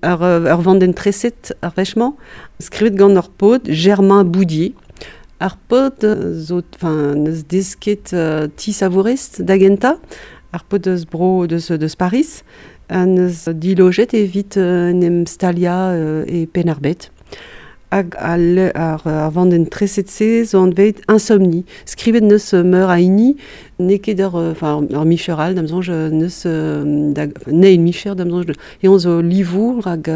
Ur vandenn treset ar wech-mañ, skrivet gant ur paotr, Germain Boudier. Ar paotr zo, enfin, neus desket ti savourez da gentañ, ar paotr eus bro deus, deus Paris, ha neus dilojet evit en em staliañ e Penn-ar-Bed. Hag al, ar, ar vandenn treset-se zo anvet Insomnie. Skrivet neus meur a hini, n'eo ket ur, enfin, ur micher all, da'm soñj, neus da, n'eo micher, da'm soñj, eñ zo livour hag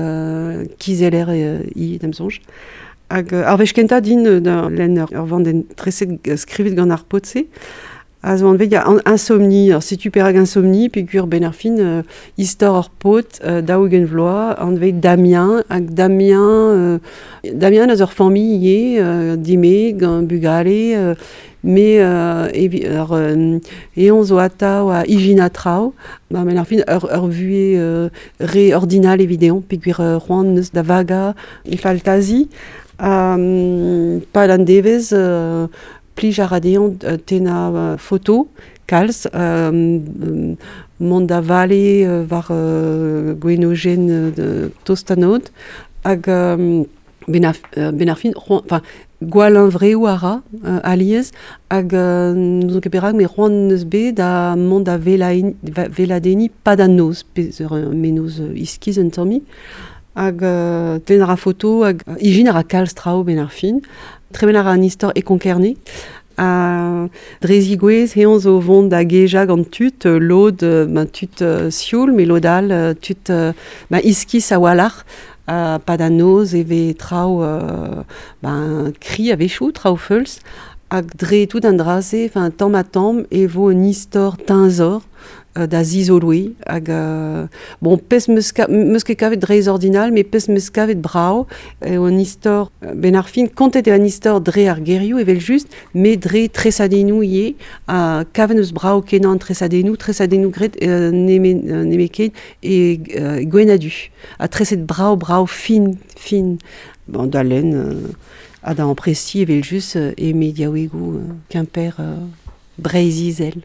kizeller ivez, da'm soñj. Hag ar wech kentañ din da lenn ur vandenn treset skrivet gant ar paotr-se, a zo anvet ya Insomnie. Alors, setu perak Insomnie, peogwir benn ar fin istor ur paotr 40 vloaz anvet Damien, hag Damien, Damien eus ur familh ivez, dimezet gant bugale, me evi ur eñ zo atav a ijinañ traoù, ba benn ar fin ur, ur vuhez re ordinal evit dezhañ, peogwir c'hoant neus da vagañ e faltazi. Ha pad an devezh plij a ra dezhañ tennañ foto kalz, mont da vale war gwenojenn tost an aod hag benn ar, benn ar fin, enfin, gwall huñvreoù a ra alies hag n'ouzon ket perak met c'hoant neus bet da mont da weladenniñ pad an noz, pezh ur mennozh iskis un tammig. Hag tenn a ra foto hag ijin a ra kalz traoù benn ar fin. Tremen a ra an istor e Konk-Kerne. Ha dre zigouezh eñ zo vont da gejañ gant tud, lod ben, tud sioul, met lod all tud ben, iskis a-walc'h. Ha pad an noz e vez traoù ben, kri a-wechoù, traoù feuls. Hag dre tout an dra-se, enfin, tamm-ha-tamm, e vo un istor teñzor da zizoloiñ hag bon pezh 'meus 'meus ket kavet dreistordinal met pezh 'meus kavet brav eo an istor benn ar fin kontet eo an istor dre ar gerioù evel-just met dre tresadennoù ivez ha kavet 'meus brav-kenañ an tresadennoù tresadennoù graet nemet nemetken e gwenn-ha-du ha treset brav-brav fin fin bon da lenn ha da amprestiñ evel-just e mediaouegoù Kemper Breizh-Izel.